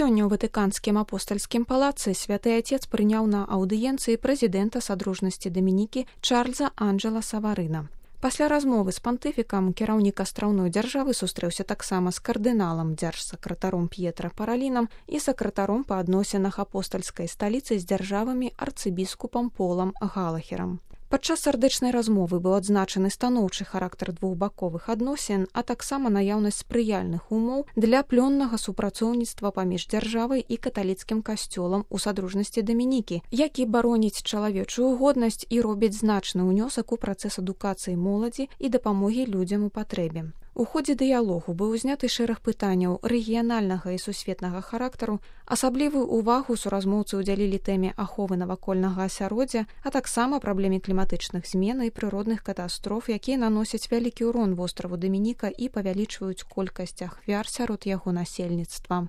Сёння ў ватыканскім апостальскім палацы святы Отец прыняў на аўдыенцыі прэзідэнта Садружнасці Дамінікі Чарльза Анджэла Саварына. Пасля размовы з пантыфікам кіраўнік астраўной дзяржавы сустрэўся таксама з кардыналам дзяржсакратаром П'етра Паралінам і сакратаром па адносінах апостальскай сталіцы з дзяржавамі арцыбіскупам Полам Галахерам. Падчас сардэчнай размовы быў адзначаны станоўчы характар двухбаковых адносін, а таксама наяўнасць спрыяльных умоў для плённага супрацоўніцтва паміж дзяржавай і каталіцкім касцёлам у Садружнасці Дамінікі, які бароніць чалавечую годнасць і робіць значны ўнёсак у працэс адукацыі моладзі і дапамогі людзям у патрэбе. У ходзе дыялогу быў узняты шэраг пытанняў рэгіянальнага і сусветнага характару, асаблівую ўвагу суразмоўцы ўдзялілі тэме аховы навакольнага асяроддзя, а таксама праблеме кліматычных змен і прыродных катастроф, якія наносяць вялікі ўрон востраву Дамініка і павялічваюць колькасць ахвяр сярод яго насельніцтва.